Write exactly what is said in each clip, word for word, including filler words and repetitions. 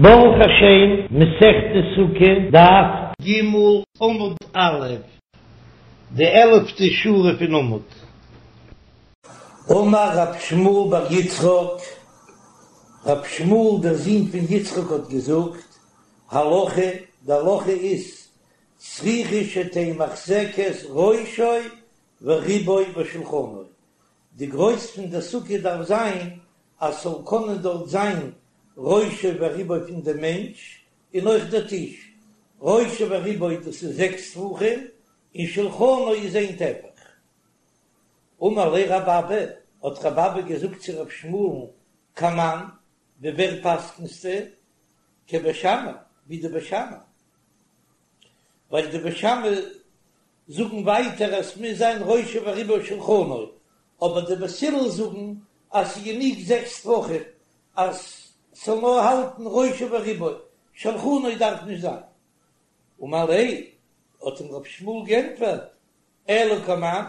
ברוך השם, מסכת סוכה, דף ג' עמוד א', די עלפטע שורה פון עמוד. אמר רב שמואל בר יצחק, רב שמואל דער זון פון יצחק האט געזאגט, הלכה, די הלכה איז, צריכה שתהא מחזקת ראשו ורובו ושולחנו, די גרויס פון די סוכה דארף זיין אז ס'זאל קענען דארט זיין ראשו ורובו פון דעם מענטש און אויך דער טיש, ראשו ורובו דאס איז זעקס טפחים און שולחנו איז איין טפח. אמר ליה רב אבא, האט רב אבא געזאגט צו רב שמואל'ן, כמאן, ווי ווער פסק'נסטו? כבית שמאי, ווי די בית שמאי. ווייל די בית שמאי זאגן ווייטער אז ס'מוז זיין ראשו ורובו ושולחנו, אבער די בית הלל זאגן אז ס'איז גענוג זעקס טפחים אז ס'זאל נאר האלטן ראשו ורובו, שולחנו דארף נישט זיין. אמר ליה, האט אים רב שמואל גענטפערט, אלא כמאן,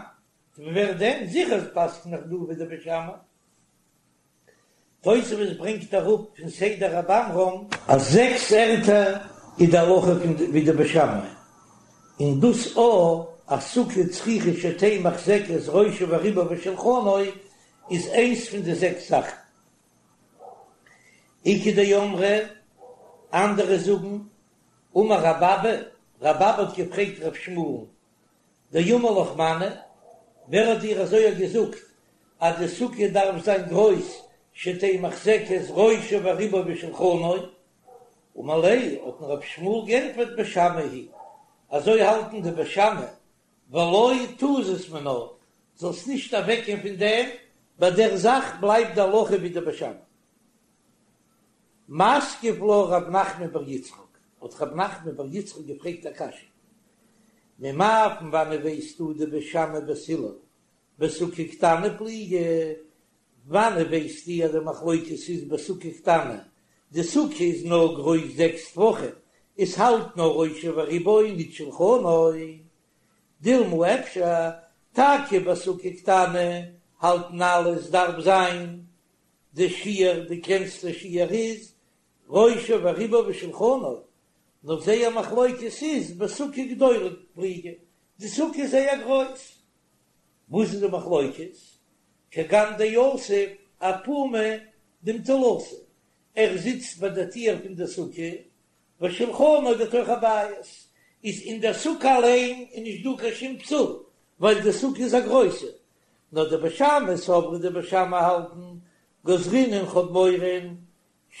ווי ווער דען, זיכער פסק'ן איך דא ווי די בית שמאי. תוספות ברענגט אראפ פון סדר רב עמרם אז זעקס ערטער איז די הלכה פון ווי די בית שמאי, און דאס א אז סוכה צריכה שתהא מחזקת ראשו ורובו ושולחנו איז איינס פון די זעקס זאכן. איכא דאמרי, אנדערע זאגן, אמר רב אבא, רב אבא האט געפרעגט רב שמואל'ן, דאמר לך מני, ווער האט דיר אזוי געזאגט אז די סוכה דארף זיין גרויס שתהא מחזקת ראשו ורובו ושולחנו? אמר ליה, האט אים רב שמואל גענטפערט בית שמאי היא, אזוי האלטן די בית שמאי, ולא תזוז מינה, זאלסט נישט אוועקגיין פון דעם, ביי דער זאך בלייבט די הלכה ווי די בית שמאי. מתקיף לה רב נחמן בר יצחק, האט רב נחמן בר יצחק געפרעגט א קשיא, ממאי פון וואנען ווייסטו דבית שמאי ובית הלל בסוכה קטנה פליגי, וואנען ווייסטו אז די מחלוקת איז בסוכה קטנה, די סוכה איז נאר גרויס זעקס טפחים, עס האלט נאר ראשו ורובו ניט שלחנו, דילמא אפשר טאקע בסוכה קטנה האלטן אלע עס דארף זיין די שיעור, די קלענסטע שיעור איז ראשו ורובו ושולחנו, נאר זייער מחלוקת איז בסוכה גדולה פליגי, די סוכה איז זייער גרויס, וואס איז די מחלוקת? כגון דיתיב אפומא דאמתלתא, ער זיצט ביי די טיר פון די סוכה, ושולחנו בתוך הבית, איז אין דער סוכה אליין איז נישט דא קיין שום פסול, ווייל די סוכה איז א גרויסע, נאר דבית שמאי סברי די בית שמאי האלטן גזרינן כ'האב מורא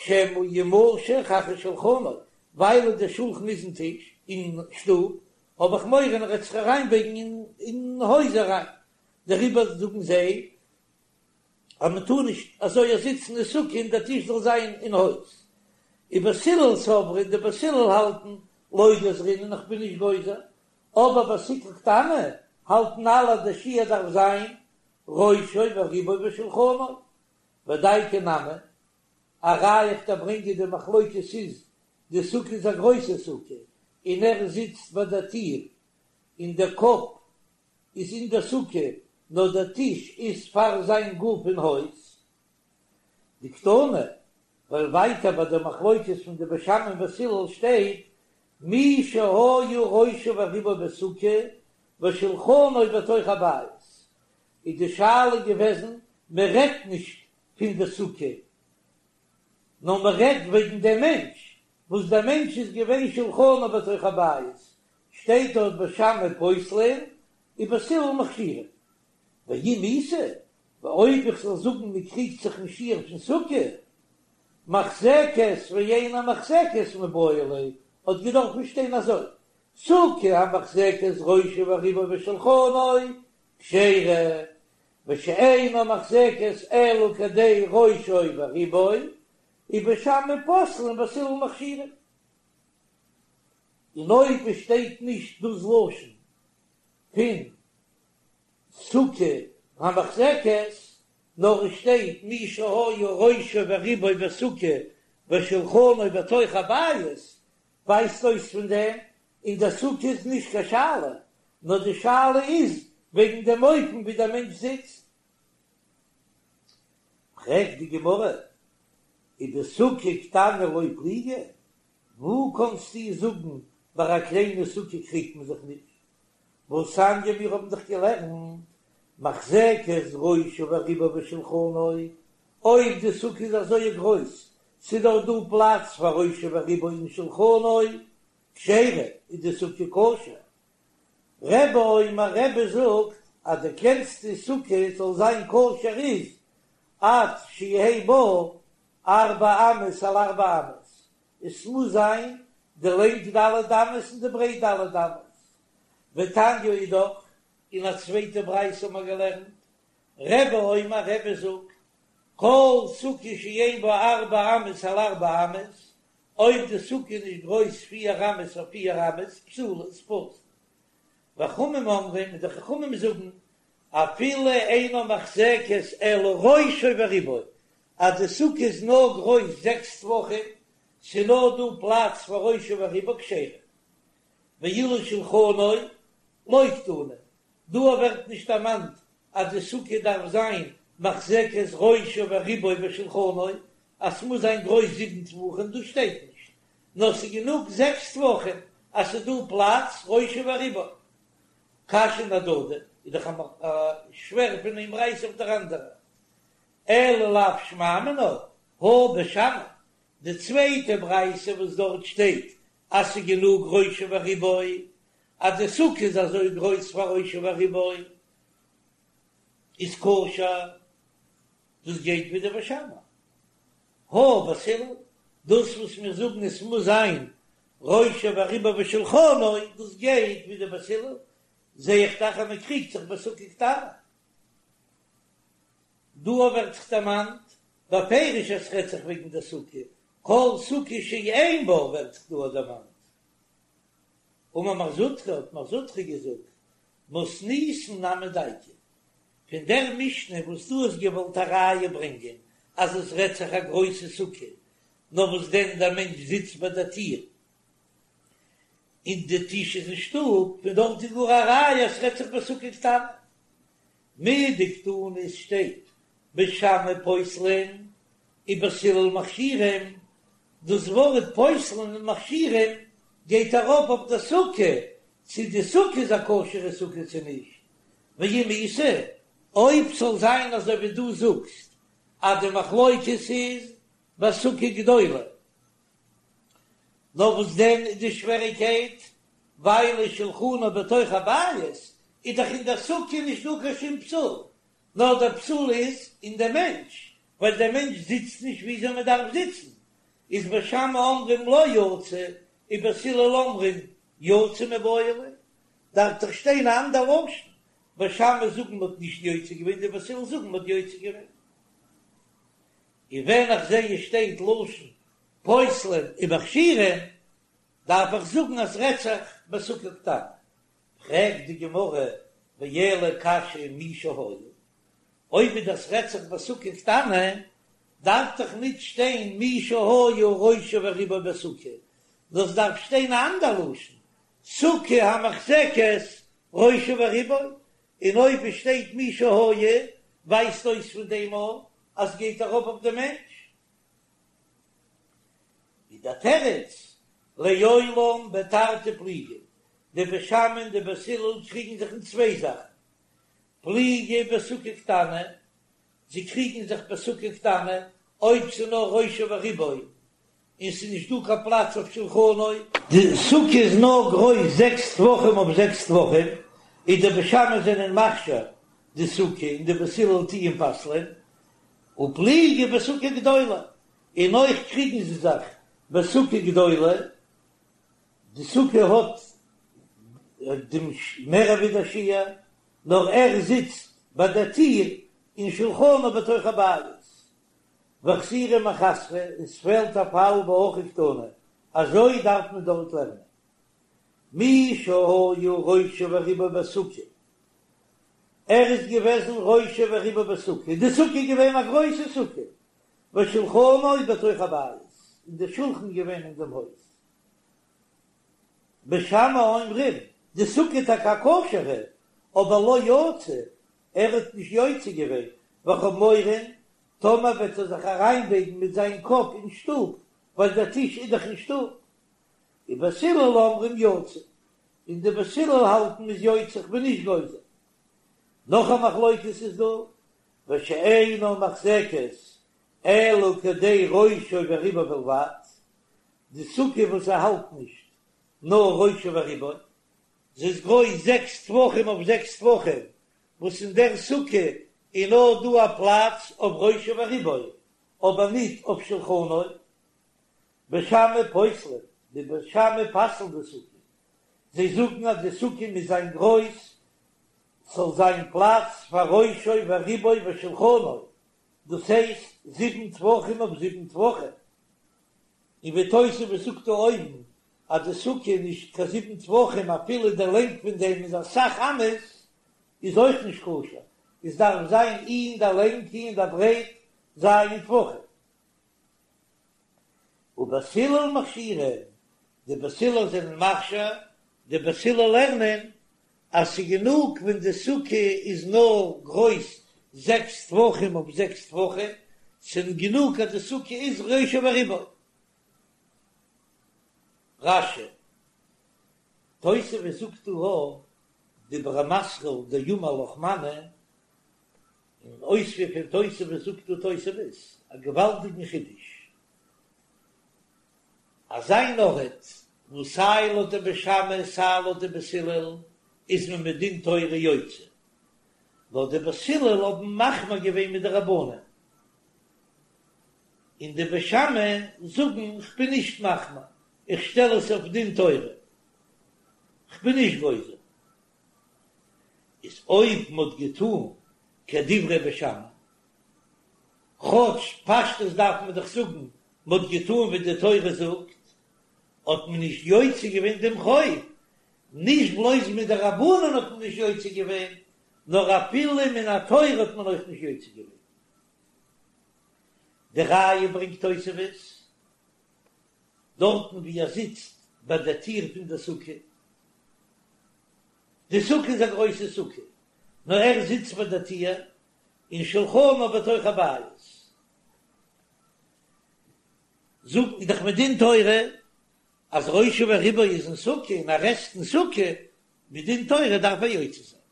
שמא ימשך אחר שולחנו, ווייל די שולחן איז אין טיש אין שטוב, האב איך מורא ער וועט זיך אריינבייגן אין הויז אריין, דעריבער זאגן זיי אז מען טאר נישט אזוי זיצן אין סוכה און דער טיש זאל זיין אין הויז. ובית הלל סברי די בית הלל האלטן לא גזרינן איך בין נישט גוזר, אבער בסוכה קטנה האלטן אלע אז די שיעור דארף זיין ראשו ורובו ושולחנו, ודייקא נמי, א ראיה איך דיר ברענגען די מחלוקת איז, די סוכה איז א גרויסע סוכה און ער זיצט ביי דער טיר און דער קאפ איז אין דער סוכה נאר דער טיש איז פאר זיין גוף אין הויז. דקתני, ווייל ווייטער ביי די מחלוקת פון די בית שמאי און בית הלל שטייט מי שהיה ראשו ורובו בסוכה ושולחנו בתוך הבית, איז די שאלה געוועזן מען רעדט נישט פון די סוכה נאר מען רעדט וועגן דעם מענטש וואס דער מענטש איז געווען שולחנו בתוך הבית, שטייט דארט בית שמאי פוסלין ובית הלל מכשירין, ואם איתא, ואויב איך זאל זאגן מען קריגט זיך אין שיעור פון סוכה, מחזקת ואינה מחזקת מיבעי ליה, האט געדארפן שטיין אזוי, סוכה המחזקת ראשו ורובו ושולחנו כשרה, ושאינה מחזקת אלא כדי ראשו ורובו, ובית שמאי פוסלין ובית הלל מכשירין. און אויב עס שטייט נישט דאס לשון פון סוכה המחזקת, נאר עס שטייט מי שהיה ראשו ורובו בסוכה ושולחנו בתוך הבית, ווייזט אויס פון דעם אין דער סוכה איז נישט קיין שאלה, נאר די שאלה איז וועגן דעם אופן ווי דער מענטש זיצט. פרעגט די גמרא, ובסוכה קטנה לא פליגי, וואו קאנסטו זאגן ביי א קליינע סוכה קריגט מען זיך נישט? והתניא מיר האבן דאך געלערנט מחזקת ראשו ורובו ושולחנו, אויב די סוכה איז אזוי גרויס ס'איז דאך דא פלאץ פאר ראשו ורובו און שולחנו, כשרה איז די סוכה כשר. רבי אומר רבי זאגט אז די קלענסטע סוכה זאל זיין כשר איז עד שיהא בה ארבע אמות על ארבע אמות, עס מוז זיין די לענג ד' אמות און די ברייט ד' אמות. ותניא אידך, אין א צווייטע ברייתא האבן מיר געלערנט, רבי אומר רבי זאגט, כל סוכה שאין בה ארבע אמות על ארבע אמות, אויב די סוכה איז נישט גרויס פיר אמות אויף פיר אמות, פסולה, איז פסול. וחכמים אומרים, און די חכמים זאגן, אפילו אינה מחזקת אלא ראשו ורובו, אז די סוכה איז נאר גרויס זעקס טפחים, ס'איז נאר דא פלאץ פאר ראשו ורובו כשרה. ואילו שלחנו לא קתני, דא ווערט נישט דערמאנט אז די סוכה דארף זיין מחזקת ראשו ורובו ושולחנו, אז ס'מוז זיין גרויס זיבן טפחים, דאס שטייט נישט, נאר ס'איז גענוג זעקס טפחים אז ס'איז דא פלאץ ראשו ורובו. קשיין אהדדי, איז דאך א שווער פון איין ברייתא אויף דער אנדערע. אלא לאו שמע מינה, הא בית שמאי, די צווייטע ברייתא וואס דארט שטייט אז ס'איז גענוג ראשו ורובו, אז די סוכה איז אזוי גרויס פאר ראשו ורובו, איז כשר, דאס גייט ווי די בית שמאי. הא בית הלל, דאס וואס מיר זאגן עס מוז זיין ראשו ורובו ושולחנו, דאס גייט ווי די בית הלל, זע איך דאך אז מען קריגט זיך בסוכה קטנה. דא ווערט זיך דערמאנט בפירוש אז ס'רעדט זיך וועגן די סוכה, כל סוכה שאין בה ווערט זיך דא דערמאנט. אמר מר זוטרא, האט מר זוטרא געזאגט, מתניתין נמי דייקא, פון דער משנה וואס דו האסט געוואלט א ראיה ברענגען אז עס רעדט זיך א גרויסע סוכה, נאר וואס דען דער מענטש זיצט ביי דער טיר און די טיש איז אין שטוב, פון דארט איז גאר א ראיה אז ס'רעדט זיך בסוכה קטנה. מדקתני עס שטייט בית שמאי פוסלין ובית הלל מכשירים, דאס ווארט פוסלין און מכשירים גייט ארויף אויף די סוכה, צו די סוכה איז א כשר'ע סוכה צו נישט, ואם איתא, אויב ס'זאל זיין אזוי ווי דו זאגסט אז די מחלוקת איז בסוכה גדולה, נאר וואס דען איז די שוועריקייט, ווייל שולחנו בתוך הבית איז דאך אין דער סוכה נישט דא קיין שום פסול, נאר דער פסול איז אין דעם מענטש, ווייל דער מענטש זיצט נישט וויאזוי מען דארף זיצן, איז בית שמאי אומרים לא יצא, ובית הלל אומרים יצא מיבעי ליה, דארף דאך שטיין א אנדער לשון, בית שמאי זאגן מ'האט נישט יוצא געווען, די בית הלל זאגן מ'האט יוצא געווען. און ווען איך זע עס שטייט לשון פוסלין ומכשירין, דארף איך זאגן אז רעדט זיך בסוכה קטנה. פרעגט די גמרא ואלא קשיא מי שהיה, אויב איז דאס רעדט זיך בסוכה קטנה, דארף דאך ניט שטיין מי שהיה ראשו ורובו בסוכה, דאס דארף שטיין א אנדער לשון, סוכה המחזקת ראשו ורובו, און אויב עס שטייט מי שהיה, ווייזט אויס פון דעם אויך אז ס'גייט ארויף אויף דעם מענטש. איז דער תירוץ, לעולם בתרתי פליגי, די בית שמאי און די בית הלל קריגן זיך אין צוויי זאכן, פליגי בסוכה קטנה, זיי קריגן זיך בסוכה קטנה אויב ס'איז נאר ראשו ורובו און ס'איז נישט דא קיין פלאץ אויף שולחנו, די סוכה איז נאר גרויס זעקס טפחים אויף זעקס טפחים, איז די בית שמאי זענען מכשיר די סוכה און די בית הלל טוען פסל'ען, ופליגי בסוכה גדולה, און אויך קריגן זיי זיך בסוכה גדולה, די סוכה האט דעם מער ווי דער שיעור, נאר ער זיצט ביי דער טיר און שולחנו בתוך הבית, וחסורי מחסרא, און ס'פעלט א פאל והכי קתני, אזוי דארף מען דארט לערנען. מי שהיה ראשו ורובו בסוכה, ער איז געוועזן ראשו ורובו בסוכה, די סוכה איז געווען א גרויסע סוכה, ושולחנו בתוך הבית, און די שולחן געווען אין דעם הויז. בית שמאי אומרים, די סוכה טאקע א כשר'ע, אבער לא יצא, ער האט נישט יוצא געווען, ווייל כ'האב מורא טאמער וועט ער זיך אריינבייגן מיט זיין קאפ אין שטוב, ווייל דער טיש איז דאך אין שטוב. ובית הלל אומרים יצא, און די בית הלל האלטן מ'איז יוצא, כ'בין נישט גוזר. נאך א מחלוקת איז דא, ושאינה מוחזקת אלא כדי ראשו ורובו בלבד, די סוכה וואס ער האלט נישט נאר ראשו ורובו, זי איז גרויס זעקס טפחים אויף זעקס טפחים, וואס אין דער סוכה איז נאר דא א פלאץ אויף ראשו ורובו, אבער ניט אויף שלחנו. בית שמאי פוסלין, די בית שמאי פסל'ן די סוכה, זיי זאגן אז די סוכה מוז זיין גרויס, ס'זאל זיין פלאץ פאר ראשו ורובו ושולחנו, דאס הייסט זיבן טפחים אויף זיבן טפחים, און ווי תוספות זאגט דא אויבן אז די סוכה איז נישט קיין זיבן טפחים אפילו די לענג פון דעם איז אסאך אמות איז אויך נישט כשר, עס דארף זיין אי אין די לענג אי אין די ברייט ז' טפחים. ובית הלל מכשירין, די בית הלל זענען מכשיר, די בית הלל לערנען אז ס'גענוג ווען די סוכה איז נאר גרויס זעקס טפחים אויף זעקס טפחים, ס'גענוג אז די סוכה איז ראשו ורובו. רש"י, תוספות זאגט דא דיבור המתחיל דאמר לך מני, אין אויספיר פון תוספות זאגט דא תוספות א געוואלדיגן חידוש, אזא אן ארט וואס סיי לויט די בית שמאי סיי לויט די בית הלל איז מען מדין תורה יוצא, נאר די בית הלל האבן מחמיר געווען מדרבנן, און די בית שמאי זאגן כ'בין נישט מחמיר, איך שטעל עס אויף דין תורה, כ'בין נישט גוזר. איז אויב מ'האט געטאן כדברי בית שמאי, כאטש פשטות דארף מען דאך זאגן מ'האט געטאן ווי די תורה זאגט, האט מען נישט יוצא געווען דעם חוב, נישט בלויז מדרבנן האט מען נישט יוצא געווען, נאר אפילו מן התורה האט מען אויך נישט יוצא געווען. די ראיה ברענגט תוספות, דארטן ווי ער זיצט ביי די טיר פון די סוכה, די סוכה איז א גרויסע סוכה, נאר ער זיצט ביי די טיר, און שולחנו בתוך הבית. זאגט דאך מדין תורה אז ראשו ורובו איז אין סוכה און ער עסט אין סוכה, מדין תורה דארף ער יוצא זיין.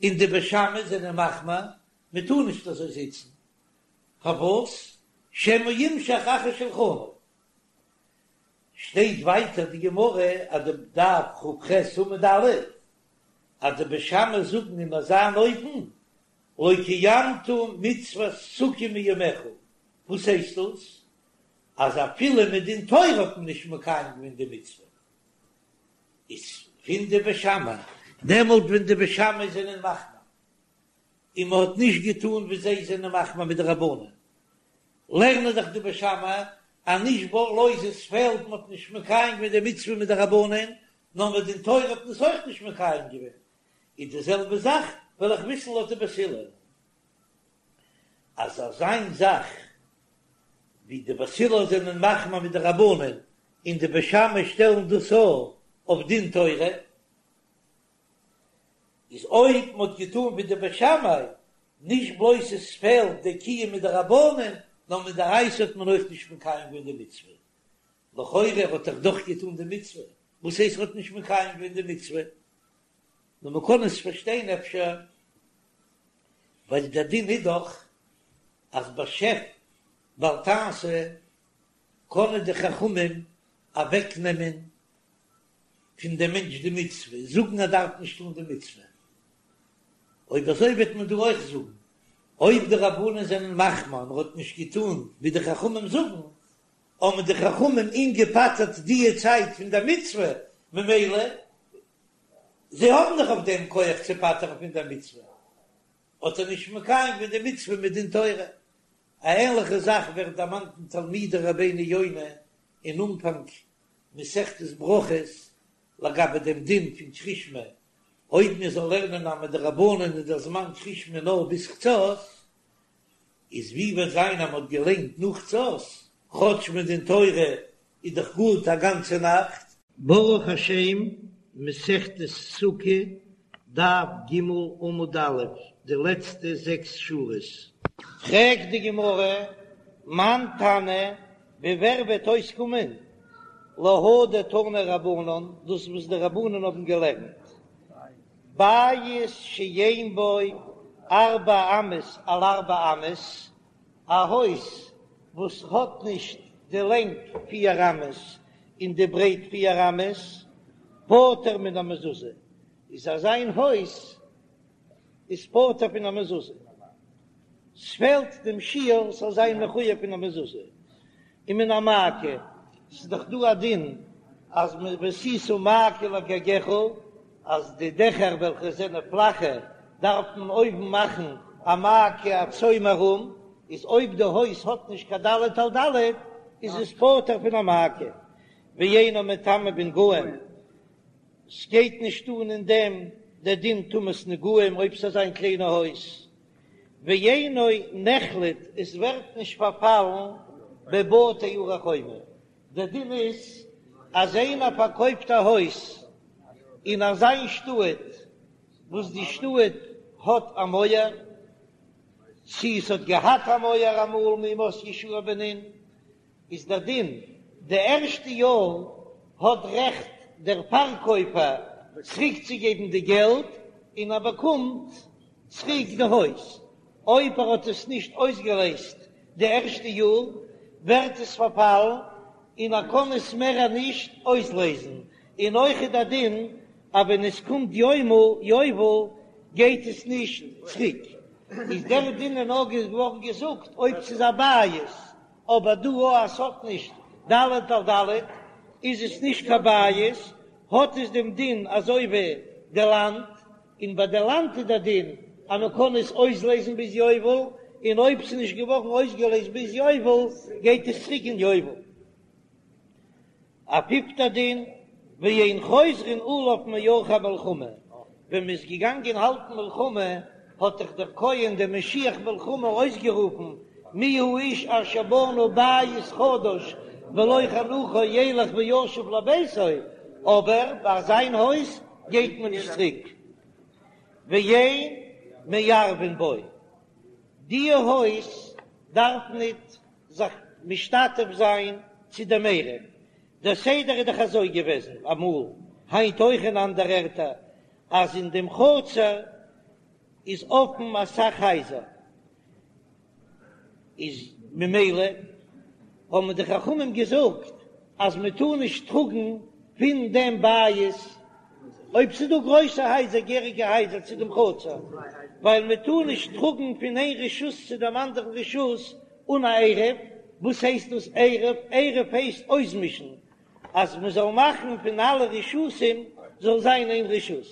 און די בית שמאי זענען מחמיר, מען טאר נישט אזוי זיצן, פארוואס? שמא ימשך אחר שלחנו. שטייט ווייטער די גמרא אז די דף כ"ח עמוד א', אז די בית שמאי זאגן אין אזא אן אופן, לא קיימת מצוות סוכה מימיך, וואס הייסט דאס? אז אפילו מדין תורה האט מען נישט מקיים געווען די מצוה, איז פון די בית שמאי, דעמאלט ווען די בית שמאי זענען מחמיר, און מען האט נישט געטאן ווי זיי זענען מחמיר מדרבנן, לערנען דאך די בית שמאי אז נישט בלויז עס פעלט מען האט נישט מקיים געווען די מצוה מדרבנן, נאר מדין תורה האט מען עס אויך נישט מקיים געווען, איז די זעלבע זאך וועל איך וויסן לויט די בית הלל אז אזא זאך ווי די בית הלל זענען מחמיר מדרבנן און די בית שמאי שטעלן דאס אויף דין תורה. איז אויב מ'האט געטאן ווי די בית שמאי, נישט בלויז עס פעלט די קיום מדרבנן, נאר מדאורייתא האט מען אויך נישט מקיים געווען די מצוה. לכאורה האט ער דאך געטאן די מצוה, וואס הייסט ער האט נישט מקיים געווען די מצוה? נאר מ'קען עס פארשטיין אפשר ווייל דער דין איז דאך אז בשב ואל תעשה קענען די חכמים אוועקנעמען פון דעם מענטש די מצוה, זאגן ער דארף נישט טון די מצוה. אויב אזוי וועט מען דא אויך זאגן, אויב די רבנן זענען מחמיר און ער האט נישט געטון ווי די חכמים זאגן, האבן די חכמים אים געפטר'ט די צייט פון דער מצוה, ממילא זיי האבן דאך אויף דעם כח צו פטר'ן פון דער מצוה, האט ער נישט מקיים געווען די מצוה מדין תורה. א ענליכע זאך ווערט דערמאנט אין תלמידי רבינו יונה אין אנפאנג מסכת ברכות לגבי דעם דין פון קריאת שמע, אויב מען זאל לערנען אז מדרבנן איז דער זמן קריאת שמע נאר ביז חצות, איז ווי וועט זיין אז מען האט געליינט נאך חצות, כאטש מדין תורה איז דאך גוט א גאנצע נאכט. ברוך השם, מסכת סוכה, דף ג עמוד א', די לעצטע זעקס שורות. פרעגט די גמרא, מאן תנא, ווי ווער וועט אויסקומען להא דתנו רבנן, דאס וואס די רבנן האבן געלערנט, בית שאין בו ארבע אמות על ארבע אמות, א הויז וואס האט נישט די לענג פיר אמות און די ברייט פיר אמות, פטור מן המזוזה, איז אזא הויז איז פטור פון א מזוזה, ס'פעלט דעם שיעור ס'זאל זיין מחויב פון א מזוזה, ומן המעקה, ס'איז דאך דא א דין אז ועשית מעקה לגגך, אז די דעכער וועלכע זענען פלאכע דארף מען אויבן מאכן א מעקה א צוים ארום, איז אויב די הויז האט נישט קיין ד' על ד' איז עס פטור פון א מעקה, ואינו מטמא בנגעים, ס'גייט נישט אן אין דעם דער דין טומאת נגעים אויב ס'איז אזא קליינע הויז, ואינו נחלט, עס ווערט נישט פארפאלן בבתי ערי חומה, דער דין איז אז איינער פארקויפט א הויז אין אזא שטאט וואס די שטאט האט א מויער, צי עס האט געהאט א מויער אמאל מימות יהושע בן נון, איז דער דין, די ערשטע יאר האט רעכט דער פארקויפער צוריקצוגעבן די געלט און ער באקומט צוריק די הויז, אויב ער האט עס נישט אויסגעלעזט די ערשטע יאר ווערט עס פארפאלן און ער קען עס מער נישט אויסלעזן, און אויך איז דער דין אז ווען עס קומט יובל יובל גייט עס נישט צוריק, איז דער דין איז נאר געווארן געזאגט אויב ס'איז א בית אבער דא אז ס'האט נישט ד' על ד' איז עס נישט קיין בית, האט עס דעם דין אזוי ווי די לאנד, און ביי די לאנד איז דער דין אז מען קען עס אויסלעזן ביז יובל, און אויב ס'איז נישט געווארן אויסגעלעזט ביז יובל גייט עס צוריק אין יובל. א פיפטע דין, ואין חוזרין עליו מעורכי מלחמה, ווען מען איז געגאנגען האלטן מלחמה האט דאך דער כהן דער משוח מלחמה אויסגערופן מי האיש אשר בנה בית חדש ולא חנכו ילך וישוב לביתו, אבער ביי זיין הויז גייט מען נישט צוריק, ואין מערבין בו, די הויז דארף ניט זיך משתתף זיין צו דעם עירוב, דער סדר איז דאך אזוי געוועזן אמאל, היינט אויך אין אנדערע ערטער, אז אין דעם חצר איז אפן אסאך הייזער, איז ממילא האבן די חכמים געזאגט אז מען טאר נישט טראגן פון דעם בית, אויב ס'איז דא גרויסע הייזער, געהעריגע הייזער צו דעם חצר, ווייל מען טאר נישט טראגן פון איין רשות צו דעם אנדערן רשות אן א עירוב, וואס הייסט דאס עירוב? עירוב הייסט אויסמישן, אז מען זאל מאכן פון אלע רשותים זאל זיין איין רשות,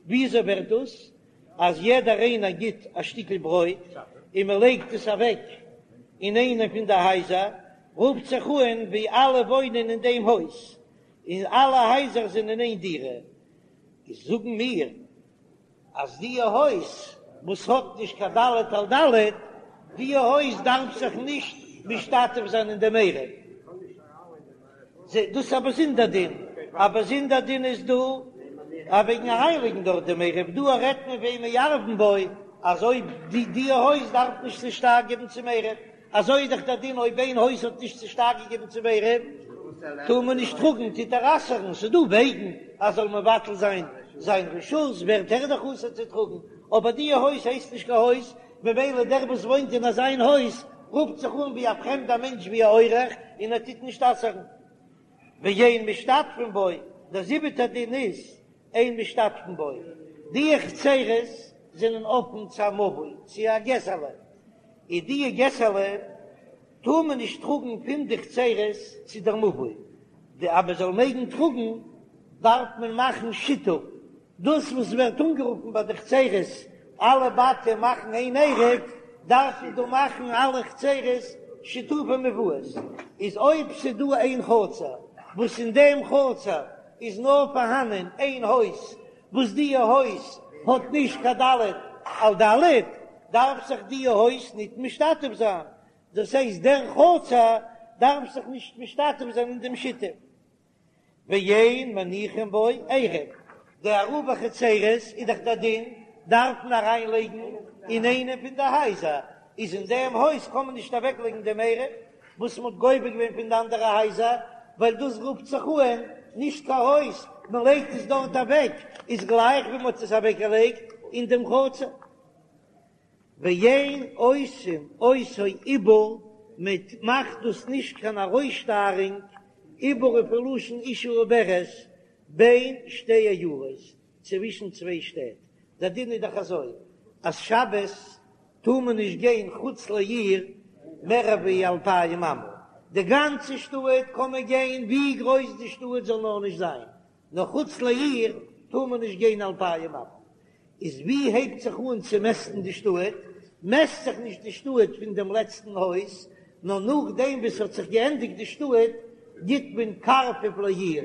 וויאזוי ווערט דאס? אז יעדער איינער גיט א שטיקל ברויט און מען לייגט עס אוועק אין איינע פון די הייזער, רופט זיך אן ווי אלע וואוינען אין דעם הויז, און אלע הייזער זענען איין דירה, איז זאגן מיר אז די הויז וואס האט נישט קיין ד' על ד', די הויז דארף זיך נישט משתתף זיין אין דעם עירוב. דאס איז א באזונדער דין, א באזונדער דין איז דא אז וועגן אריינלייגן דארט דעם עירוב, דא רעדט מען ואין מערבין בו, אז אויב די די הויז דארף נישט צושטייער געבן צום עירוב, אזוי איז דאך דער דין אויב איין הויז האט נישט צושטייער געגעבן צום עירוב טאר מען נישט טראגן, טוט ער אסר'ן, ס'איז דא וועגן אז זאל מבטל זיין זיין רשות ווערט ער דאך אסור צו טראגן, אבער די הויז הייסט נישט קיין הויז, ממילא דער וואס וואוינט אין אזיין הויז רופט זיך אן ווי א פרעמדער מענטש ווי א אורח און ער טוט נישט אסר'ן. ואין משתתפין בו, דער זיבעטער דין איז אין משתתפין בו, די חצרות זענען אפן צו א מבוי, צו א געסעלע, און די געסעלע טאר מען נישט טראגן פון די חצרות צו דער מבוי, די אז מען זאל מעגן טראגן דארף מען מאכן שיתוף, דאס וואס ווערט אנגערופן ביי די חצרות אלע בתים מאכן איין עירוב, דארף מען דא מאכן אלע חצרות שיתופי מבואות, איז אויב ס'דא איין חצר וואס אין דעם חצר איז נאר פארהאנען איין הויז וואס די הויז האט נישט קיין ד' על ד', דארף זיך די הויז ניט משתתף זיין, דאס הייסט דער חצר דארף זיך נישט משתתף זיין אין דעם שיתוף. ואין מניחין בו עירוב, די עירובי חצרות איז דאך דער דין דארף מען אריין לייגן אין איינע פון די הייזער, איז אין דעם הויז קען מען נישט אוועקלייגן דעם עירוב וואס מען האט גובה געווען פון די אנדערע הייזער, ווייל דאס רופט זיך אן נישט קיין הויז, מען לייגט עס דארט אוועק, איז גלייך ווי מען האט עס אוועקגעלייגט אין דעם חצר. ואין עושין אותו עיבור, מען מאכט דאס נישט קיין ארויסשטארונג, עיבור איז פון לשון אשה עוברת, בין שתי עיירות, צווישן צוויי שטעט, דער דין איז דאך אזוי אז שבת טאר מען נישט גיין חוץ לעיר מער ווי אלפיים אמה, די גאנצע שטאט קען מען גיין ווי גרויס די שטאט זאל נאר נישט זיין, נאר חוץ לעיר טאר מען נישט גיין אלפיים אמה. איז ווי הייבט זיך אן צו מעסטן די שטאט? מעסט זיך נישט די שטאט פון דעם לעצטן הויז, נאר נאכדעם וואס ס'האט זיך געענדיגט די שטאט גיט מען קרפף לעיר,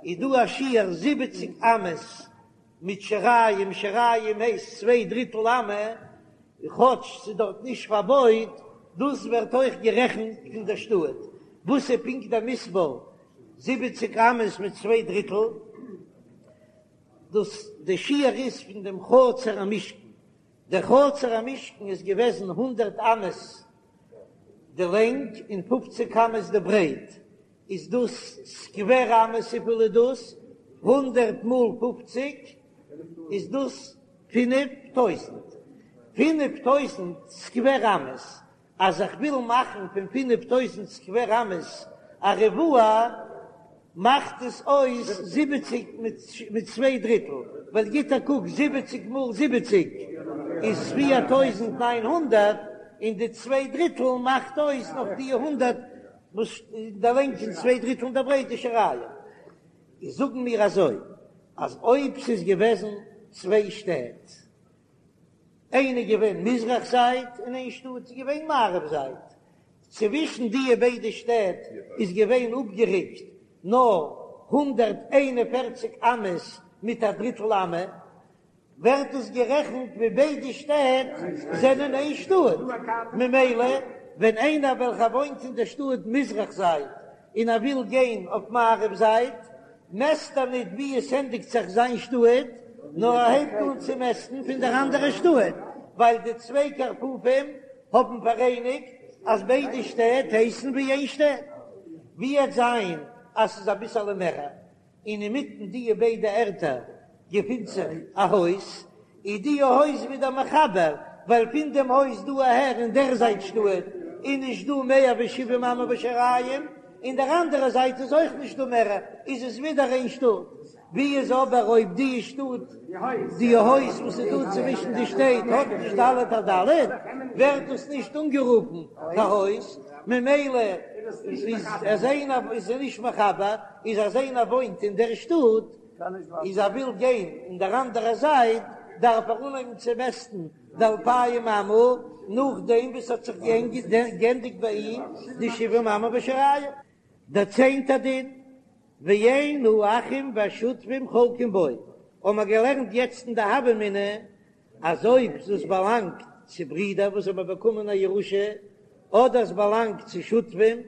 איז דא א שיעור זיבעציק אמות מיט שיריים, שיריים הייסט צוויי דריטל אמה, כאטש ס'איז דארט נישט פארבויט, דאס ווערט אויך גערעכנט פון דער שטאט. וואס איז פונקט דער מספר זיבעציק אמות מיט צוויי דריטל? דאס די שיעור איז פון דעם חצר המשכן, דער חצר המשכן איז געוועזן הונדערט אמות די לענג און פופציג אמות די ברייט, איז דאס סקווער אמות וויפיל איז דאס? הונדערט מאל פופציג איז דאס פינף טויזנט, פינף טויזנט סקווער אמות, אז איך וויל מאכן פון פינף טויזנט סקווער אמות א ריבוע, מאכט עס אויס זיבעציק מיט צוויי דריטל, ווייל גיט א קוק, זיבעציק מאל זיבעציק איז פיר טויזנט ניין הונדערט, און די צוויי דריטל מאכט אויס נאך די הונדערט וואס די לענג און צוויי דריטל אין די ברייט איז שיריים. איז זאגן מיר אזוי, אז אויב ס'איז געוועזן צוויי שטעט, איינע איז געווען מזרח זייט און איין שטאט איז געווען מערב זייט, צווישן דיע ביידע שטעט איז געווען אפגעריקט נאר הונדערט איין און פֿערציק אמות מיט א דריטל אמה, ווערט עס גערעכנט ווי ביידע שטעט זענען איין שטאט, ממילא ווען איינער וועלכער וואוינט אין דער שטאט מזרח זייט און ער וויל גיין אויף מערב זייט, מעסט ער ניט ווי עס ענדיגט זיך זיין שטאט, נאר ער הייבט אן צו מעסטן פון דער אנדערער שטאט, ווייל די צוויי קרפפים האבן פאראייניגט אז ביידע שטעט הייסן ווי איין שטאט. ווי עט זיין אז ס'איז אביסעלע מערער, און אינמיטן דיע ביידע ערטער געפינט זיך א הויז, איז דיע הויז ווידער מחבר, ווייל פון דעם הויז דא אהער אין דער זייט שטאט איז נישט דא מער ווי שבעים אמה ושיריים, אין דער אנדערע זייט איז אויך נישט דא מער, איז עס ווידער איין שטאט. ווי איז אבער אויב די שטאט, די הויז וואס איז דא צווישן די שטעט האט נישט ד' על ד', ווערט דאס נישט אנגערופן קיין הויז, ממילא איז אז איינער איז נישט מחבר, איז אז איינער וואוינט אין דער שטאט, איז ער וויל גיין אין דער אנדערע זייט, דארף ער אנהויבן צו מעסטן די אלפיים אמה, נאכדעם וואס ס'האט זיך געענדיגט ביי אים די שבעים אמה ושיריים. דער צענטער דין, ואין האחים והשותפים חולקים בו, האבן מיר געלערנט יעצט אין די הוה אמינא, אז אויב דאס באלאנגט צו ברידער וואס האבן באקומען א ירושה, אדער עס באלאנגט צו שותפים,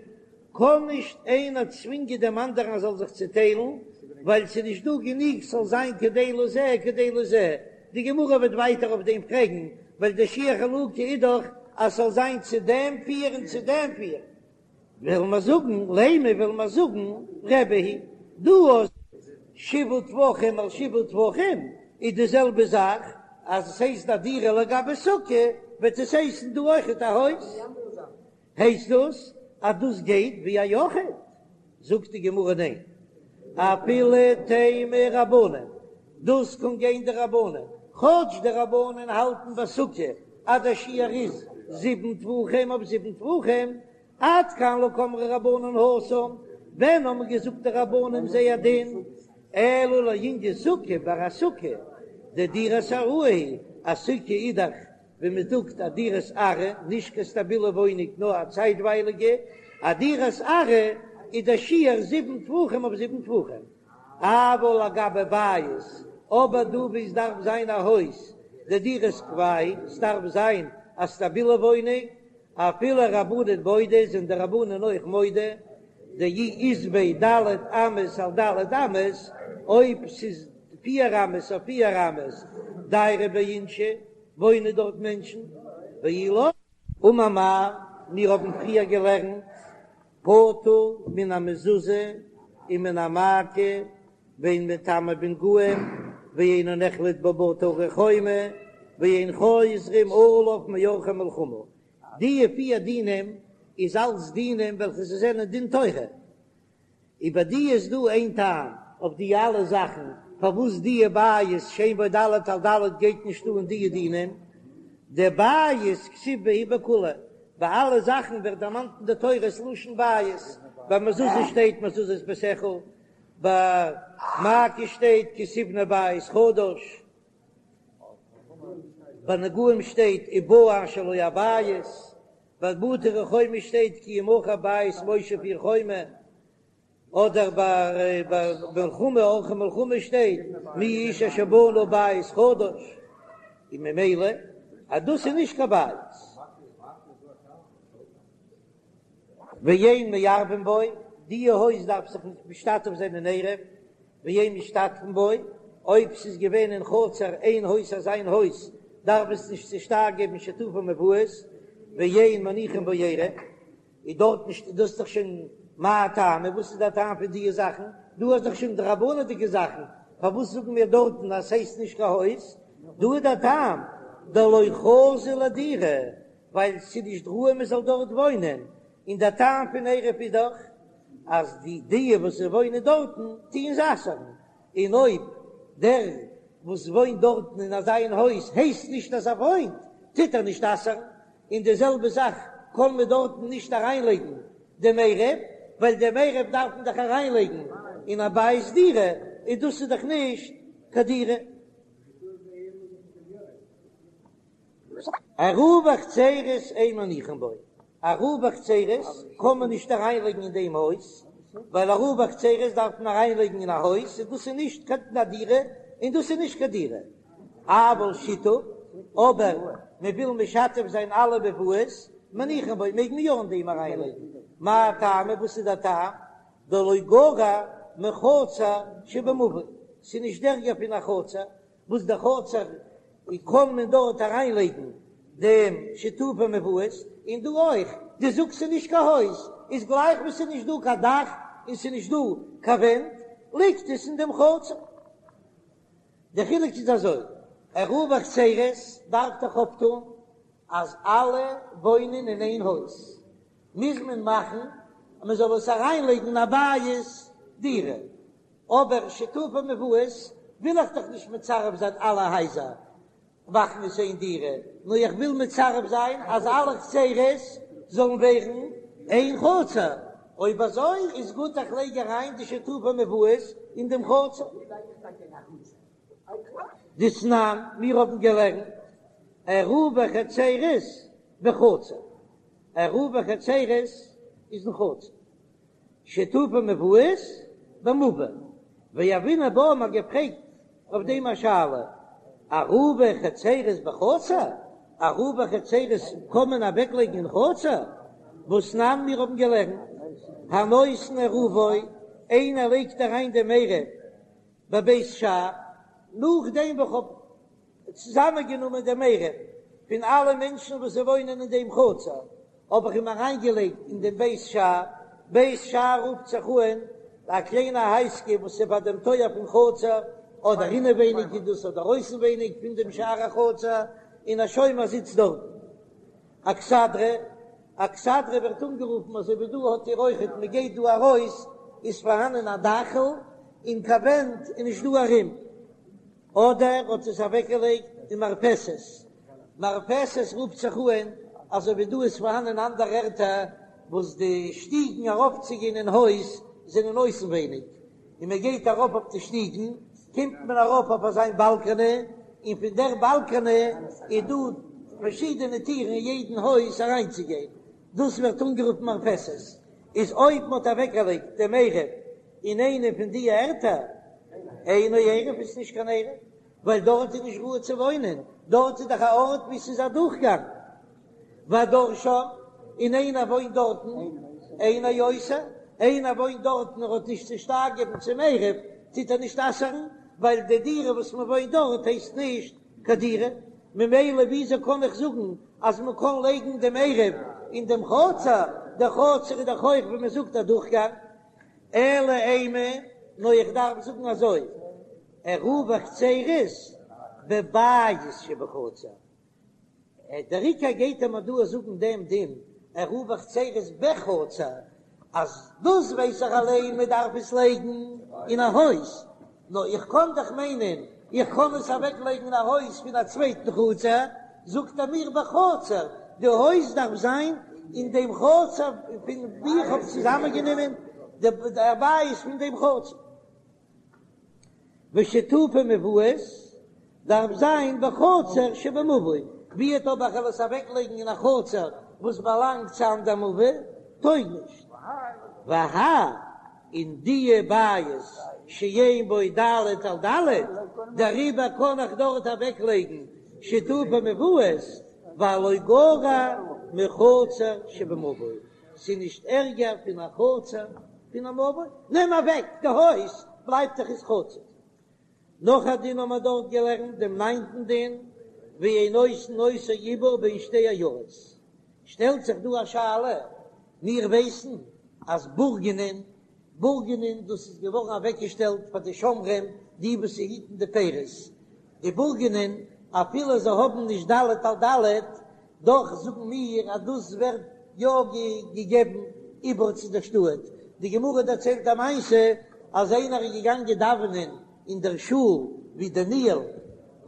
קען נישט איינער צווינגען דעם אנדערן ער זאל זיך צעטיילן, ווייל ס'איז נישט דא גענוג ס'זאל זיין כדי לזה כדי לזה. די גמרא וועט ווייטער אויף דעם פרעגן, ווייל דער שיעור חלוקה איז דאך אז ס'זאל זיין צו דעם פיר און צו דעם פיר. וועלן מיר זאגן, לימא וועלן מיר זאגן, רבי היא, דא אז שבעה טפחים על שבעה טפחים איז די זעלבע זאך, אז עס הייסט א דירה לגבי סוכה, וועט עס הייסן דא אויכעט א הויז. הייסט דאס אז דאס גייט ווי א יחיד? זאגט די גמרא ניין, אפילו תימא רבנן, דאס קען גיין די רבנן, כאטש די רבנן האלטן ביי סוכה אז דער שיעור איז זיבן טפחים אויף זיבן טפחים, עד כאן לא קאמרי רבנן התם, ווען האבן געזאגט די רבנן זייער דין, אלא לענין סוכה, ביי א סוכה, דדירת עראי היא, א סוכה איז דאך ווי מען זאגט א דירת עראי, נישט קיין סטאבילע וואוינונג נאר א צייטווייליגע, א דירת עראי איז דער שיעור זיבן טפחים אויף זיבן טפחים, אבל לגבי בית, אבער דא ווי עס דארף זיין א הויז, דדירת קבע היא, עס דארף זיין א סטאבילע וואוינונג, אפילו רבנן מודו, זענען די רבנן אויך מודה, דאי אית ביה ד' אמות על ד' אמות, אויב ס'איז פיר אמות אויף פיר אמות, דיירי ביה אינשי, וואוינען דארט מענטשן, ואי לא, אמר מר, מיר האבן פריער געלערנט, פטור מן המזוזה ומן המעקה ואין מטמא בנגעים ואינו נחלט בו בתי ערי חומה ואין חוזרים עליו מעורכי מלחמה, די פיר דינים איז אלץ דינים וועלכע זיי זענען דין תורה, איבער די איז דא איין טעם אויף די אלע זאכן פארוואס די בית שאין בו ד' על ד' גייט נישט אן די דינים, דבית כתיב בהו בכולהו, ביי אלע זאכן ווערט דערמאנט אין די תורה ס'לשון בית, ביי מזוזה שטייט מזוזות ביתך, ביי מעקה שטייט כי תבנה בית חדש, ביי נגעים שטייט ובא אשר לו הבית, ביי בתי ערי חומה שטייט כי ימכר בית מושב עיר חומה, אדער ביי מלחמה עורכי מלחמה שטייט מי האיש אשר בנה בית חדש, און ממילא אז דאס איז נישט קיין בית. ואין מערבין בו, די הויז דארף זיך נישט משתתף זיין אין עירוב, ואין משתתפין בו, אויב ס'איז געווען אין חצר איין הויז אזא הויז דארף עס נישט צושטייער געבן שיתופי מבואות, ואין מניחין בו עירוב, איז דארט נישט, דאס איז דאך שוין מאי טעמא, וואס איז דער טעם פון דיע זאכן, דא איז דאך שוין דרבנן'דיגע זאכן, פארוואס זאגן מיר דארטן אז ס'הייסט נישט קיין הויז, דא איז דער טעם, דלא חזי לדירה, ווייל ס'איז נישט ראוי מ'זאל דארט וואוינען, און דער טעם פון עירוב איז דאך אז די די וואס זיי וואוינען דארטן טוען זיי אסר'ן, און אויב דער וואס וואוינט דארטן אין אזא איין הויז הייסט נישט אז ער וואוינט, טוט ער נישט אסר'ן, און די זעלבע זאך קען מען דארטן נישט אריינלייגן דעם עירוב, ווייל דעם עירוב דארף מען דאך אריינלייגן אין א בית דירה, און דאס איז דאך נישט קיין דירה. עירובי חצירות אין מניחין בו, עירובי חצירות קען מען נישט אריינלייגן אין דעם הויז, ווייל עירובי חצירות דארף מען אריינלייגן אין א הויז, און דאס איז נישט קיין א דירה, און דאס איז נישט קיין דירה. אבל שיתוף, אבער מען וויל משתף זיין אלע מבואות, מניחין בו, מעג מען יא אין דעם אריינלייגן. מאי טעמא, וואס איז דער טעם? דלא גרע מחצר שבמבוי, ס'איז נישט ערגער פון א חצר, וואס די חצר קען מען דארט אריין לייגן דעם שיתופי מבואות, און דא אויך, דו זאגסט ס'איז נישט קיין הויז, איז גלייך ווי ס'איז נישט דא קיין דאך און ס'איז נישט דא קיין ווענט, ליגט עס אין דעם חצר. די חילוק איז אזוי, עירובי חצירות דארף דאך אויפטון אז אלע וואוינען אין איין הויז, מוז מען מאכן אז מען זאל עס אריין לייגן אין א בית דירה, אבער שיתופי מבואות וויל איך דאך נישט מצרף זיין אלע הייזער מאכן עס איין דירה, נאר איך וויל מצרף זיין אז אלע חצרות זאלן ווערן איין חצר, אויב אזוי איז גוט איך לייג אריין די שיתופי מבואות אין דעם חצר. דתנן, מיר האבן געלערנט עירובי חצרות בחצר, עירובי חצרות איז אין חצר. שיתופי מבואות במבוי, והוינן בה, מ'האט געפרעגט אויף דעם א שאלה, עירובי חצירות בחצר, עירובי חצירות קען מען אוועקלייגן אין חצר? והתנן מיר האבן געלערנט, הנותן עירובו, איינער לייגט אריין דעם עירוב בבית שער, נאכדעם וואס כ'האב צוזאמענגענומען דעם עירוב פון אלע מענטשן וואס זיי וואוינען אין דעם חצר, האב איך אים אריינגעלייגט אין דעם בית שער, בית שער רופט זיך אן א קליינע הייזקע וואס איז ביי דעם טויער פון חצר, אדער אינעווייניג איז דאס אדער אויסנווייניג פון דעם שער החצר, און א שומר זיצט דארטן. אכסדרה, אכסדרה ווערט אנגערופן אזוי ווי דא האט איר אויכעט, מען גייט דא ארויס איז פארהאנען א דאכל און קיין ווענט איז נישט דא ארום, אדער האט עס אוועקגעלייגט אין מרפסת, מרפסת רופט זיך אן אזוי ווי דא איז פארהאן אין אנדערע ערטער וואס די שטיגן ארויפצוגיין אין הויז זענען אויסנווייניג, און מען גייט ארויף אויף די שטיגן קומט מען ארויף אויף אזיין באלקענע, און פון דער באלקענע איז דא פארשידענע טירן אין יעדן הויז אריינצוגיין, דאס ווערט אנגערופן מרפסת, איז אויב מען האט אוועקגעלייגט דעם עירוב אין איינע פון די ערטער, אינו עירוב איז נישט קיין עירוב, ווייל דארט איז נישט ראוי צו וואוינען, דארט איז דאך א ארט וואו ס'איז א דורכגאנג, והדר שם, און איינער וואוינט דארטן, אינו אוסר, איינער וואוינט דארטן ער האט נישט צושטייער געבן צום עירוב, טוט ער נישט אסר'ן, ווייל די דירה וואס מען וואוינט דארט הייסט נישט קיין דירה, ממילא וויאזוי קען איך זאגן אז מען קען לייגן דעם עירוב אין דעם חצר, דער חצר איז דאך אויך ווי מען זאגט א דורכגאנג, אלא אימא, נאר איך דארף זאגן אזוי, עירובי חצירות בבית שבחצר, דער עיקר גייט ער מיר דא זאגן דעם דין עירובי חצירות בחצר, אז דאס ווייס איך אליין מען דארף עס לייגן אין א הויז, נאר איך קען דאך מיינען איך קען עס אוועק לייגן אין א הויז פון א צווייטן חצר, זאגט ער מיר בחצר, די הויז דארף זיין אין דעם חצר פון ווי איך האב צוזאמען גענומען די בית פון דעם חצר. ושיתופי מבואות דארף זיין בחצר שבמבוי, ווי אט אויב איך וועל עס אוועק לייגן אין א חצר וואס באלאנגט צו אנדער מבוי, טויג נישט. והאי און דיע בית שאין בו ד' על ד', דעריבער קען איך דארט אוועק לייגן שיתופי מבואות, ווייל לא גרע מחצר שבמבוי, ס'איז נישט ערגער פון א חצר פון א מבוי, נעם אוועק די הויז בלייבט דאך עס חצר. נאך א דין האבן מיר דארט געלערנט דעם ניינטן דין, ואין עושין אותו עיבור בין שתי עיירות, שטעלט זיך דא א שאלה, מיר ווייסן אז בורגנין, בורגנין דאס איז געווארן אוועקגעשטעלט פאר די שומרים די וואס היטן די פירות, די בורגנין אפילו זיי האבן נישט ד' על ד', דאך זאגן מיר אז דאס ווערט יא געגעבן עיבור צו דער שטאט. די גמרא דערציילט א מעשה אז איינער איז געגאנגען דאווענען אין דער שול ווי דניאל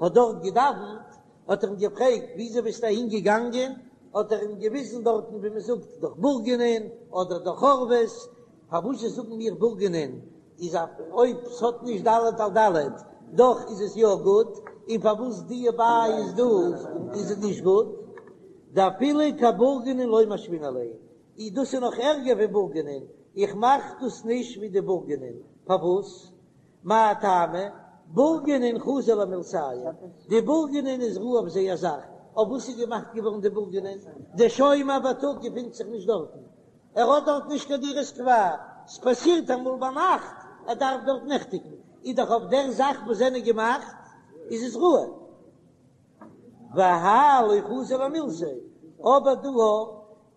האט דארט געדאווענט, האט ער אים געפרעגט וויאזוי ביסטו אהין געגאנגען, האט ער אים געוויזן דארטן ווי מען זאגט דורך בורגנין אדער דורך חורבות, פארוואס זאגן מיר בורגנין איז אויב ס'האט נישט ד' על ד' דאך איז עס יא גוט, און פארוואס דיע בית דא איז עס נישט גוט? דאפילו כבורגנין לא משוינן ליה, אי דאס איז נאך ערגער ווי בורגנין, איך מאך דאס נישט ווי די בורגנין, פארוואס? מאי טעמא? בורגנין חזו למילתייהו, די בורגנין איז ראוי אויף זייער זאך, אויף וואס איז געמאכט געווארן די בורגנין? דער שומר בייטאג געפינט זיך נישט דארטן, ער האט דארט נישט קיין דירת קבע, ס'פאסירט אמאל ביינאכט ער דארף דארט נעכטיגן, איז דאך אויף דער זאך וואס זענען געמאכט איז עס ראוי. והאי לא חזי למילתיה, אבער דא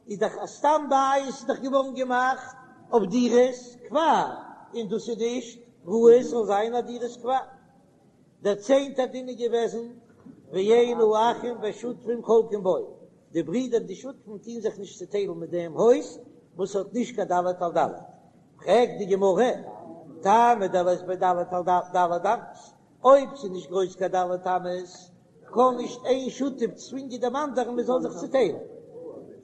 איז דאך א סתם בית איז דאך געווארן געמאכט אויף דירת קבע, און דאס איז נישט ראוי עס זאל זיין א דירת קבע. דער צענטער דין איז געוועזן ואין האחים והשותפים חולקים בו, די ברידער די שותפים טוהן זיך נישט צוטיילן מיט דעם הויז וואס האט נישט קיין ד' על ד', פרעגט די גמרא, טעמא דלית ביה ד' על ד' אמות, אויב ס'איז נישט גרויס קיין ד' אמות, קען נישט איין שותף צווינגען דעם אנדערן מען זאל זיך צוטיילן,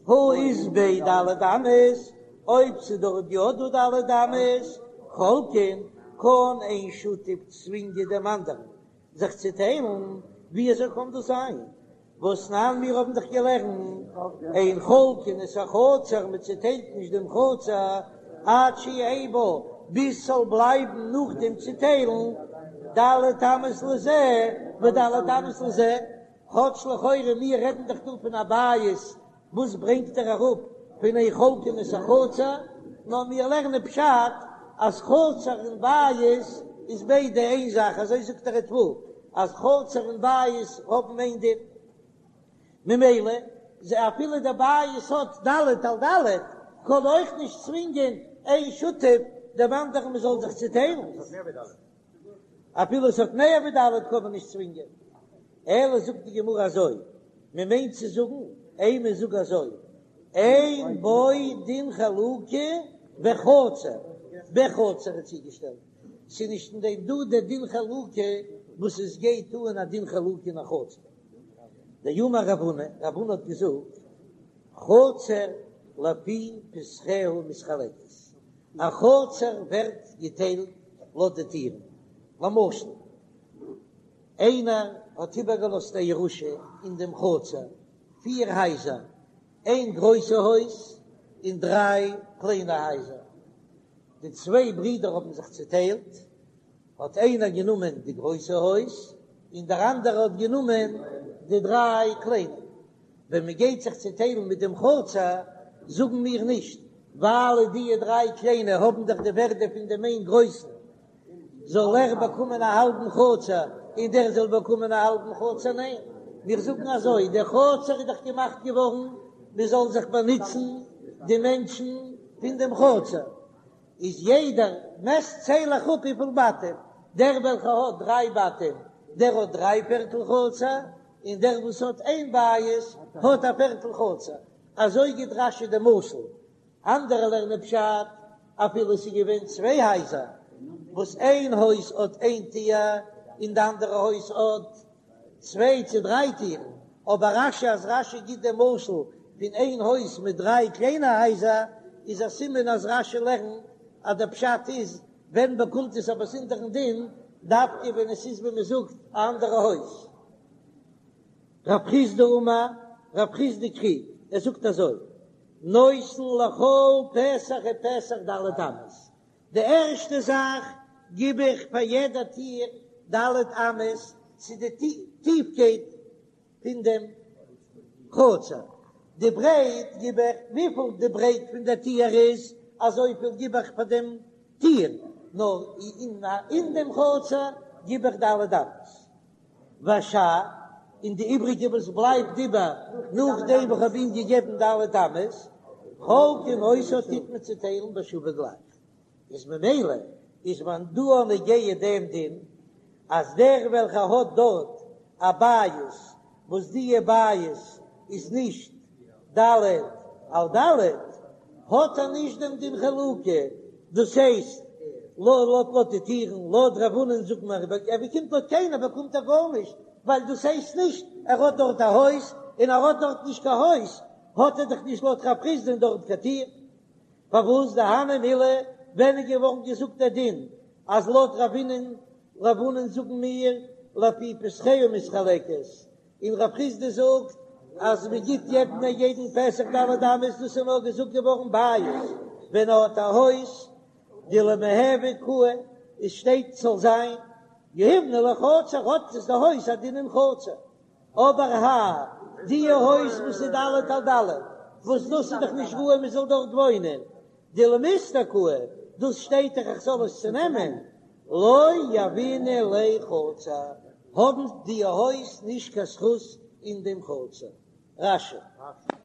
הא אית ביה ד' אמות, אויב ס'איז דארט יא דא ד' אמות, חולקין, קען איין שותף צווינגען דעם אנדערן זיך צוטיילן, ווי אזוי קען דאס זיין? והתנן מיר האבן דאך געלערנט אין חולקין את החצר, מען צוטיילט נישט דעם חצר עד שיהא בה, ביז ס'זאל בלייבן נאך דעם צוטיילן ד' אמות לזה וד' אמות לזה, כאטש לכאורה מיר רעדן דאך דא פון א בית, וואס ברענגט ער אראפ פון אין חולקין את החצר? נאר מיר לערנען פשט אז חצר און בית איז ביידע איין זאך, אזוי זאגט דער ריטב"א אז חצר און בית האבן איין דין, ממילא אפילו דער בית האט ד' על ד' קען אויך נישט צווינגען איין שותף דעם אנדערן מען זאל זיך צוטיילן. אפילו עס האט מער ווי ד' קען מען נישט צווינגען, אלא זאגט די גמרא אזוי, מען מיינט צו זאגן, אימא זאג אזוי, אין בו דין חלוקה בחצר, בחצר איז צוגעשטעלט, ס'איז נישט אין דעם דא דער דין חלוקה וואס עס גייט אן א דין חלוקה אין א חצר. דאמר רב הונא, רב הונא האט געזאגט, חצר לפי פתחיה מתחלקת, א חצר ווערט געטיילט לויט די טירן, למשל איינער האט איבערגעלאזט א ירושה אין דעם חצר פיר הייזער, איין גרויסע הויז און דריי קליינע הייזער, די צוויי ברידער האבן זיך צוטיילט, האט איינער גענומען די גרויסע הויז און דער אנדערער האט גענומען די דריי קליינע. ווען מען גייט זיך צעטיילן מיט דעם חצר, זאגן מיר נישט, ווייל די דריי קליינע האבן דאך די ווערדע פון דעם איין גרויסן, זאל ער באקומען א האלבן חצר און דער זאל באקומען א האלבן חצר, ניין, מיר זאגן אזוי, דער חצר איז דאך געמאכט געווארן מען זאל זיך באנוצן די מענטשן פון דעם חצר, איז יעדער מעסט צייל איך אפ וויפיל בתים, דער וועלכער האט דריי בתים דער האט דריי פערטל חצר, און דער וואס האט איין בית האט א פערטל חצר, אזוי גיט רש"י די משל, אנדערע לערנען פשט, אפילו עס איז געווען צוויי הייזער, וואס איין הויז האט איין טיר און די אנדערע הויז האט צוויי צו דריי טירן, אבער רש"י אז רש"י גיט דעם משל פון איין הויז מיט דריי קליינע הייזער, איז א סימן אז רש"י לערנט אז דער פשט איז ווען באקומט עס א באזונדערן דין, דווקא ווען עס איז ווי מען זאגט א אנדערע הויז. רב חסדא אמר, רב חסדא קריגט, ער זאגט אזוי, נותן לכל פתח ופתח ד' אמות, די ערשטע זאך גיב איך פאר יעדע טיר ד' אמות צו די טיפקייט פון דעם חצר, די ברייט גיב איך וויפיל די ברייט פון דער טיר איז, אזויפיל גיב איך פאר דעם טיר, נאר אין דעם חצר גיב איך ד' אמות. והשאר, און די איבריגע וואס בלייבט איבער נאכדעם וואס כ'האב אים געגעבן ד' אמות, חולקין אותה טוט מען צוטיילן בשווה גלייך, איז ממילא איז מען דא נוגע דעם דין אז דער וועלכער האט דארט א בית וואס דיע בית איז נישט ד' על ד' האט ער נישט דעם דין חלוקה, דאס הייסט לויט לויט די טירן, לויט רב הונא'ן זאגט מען ער באקומט לויט קיינער באקומט ער גארנישט, ווייל דאס הייסט נישט ער האט דארט א הויז, און ער האט דארט נישט קיין הויז האט ער דאך נישט לויט רב חסדא'ן דארט קיין טיר. פארוואס דהני מילי ווען איז געווארן געזאגט דער דין אז לויט רב הונא'ן רב הונא'ן זאגן מיר לפי פתחיה מתחלקת, און רב חסדא זאגט אז מען גיט יעדן א יעדן פתח ד' אמות, דאס איז נאר געזאגט געווארן בית ווען ער האט א הויז דלמיהוי קאי עס שטייט ס'זאל זיין יהיבנא ליה חצר האט עס די הויז א דין אין חצר אבער האי די הויז וואס איז ד' על ד' וואס דאס איז דאך נישט ראוי מען זאל דארט וואוינען דלמיסתר קאי דאס שטייט דאך איך זאל עס צונעמען לא יהבינן ליה חצר האבן די הויז נישט קיין זכות אין דעם חצר. רש"י.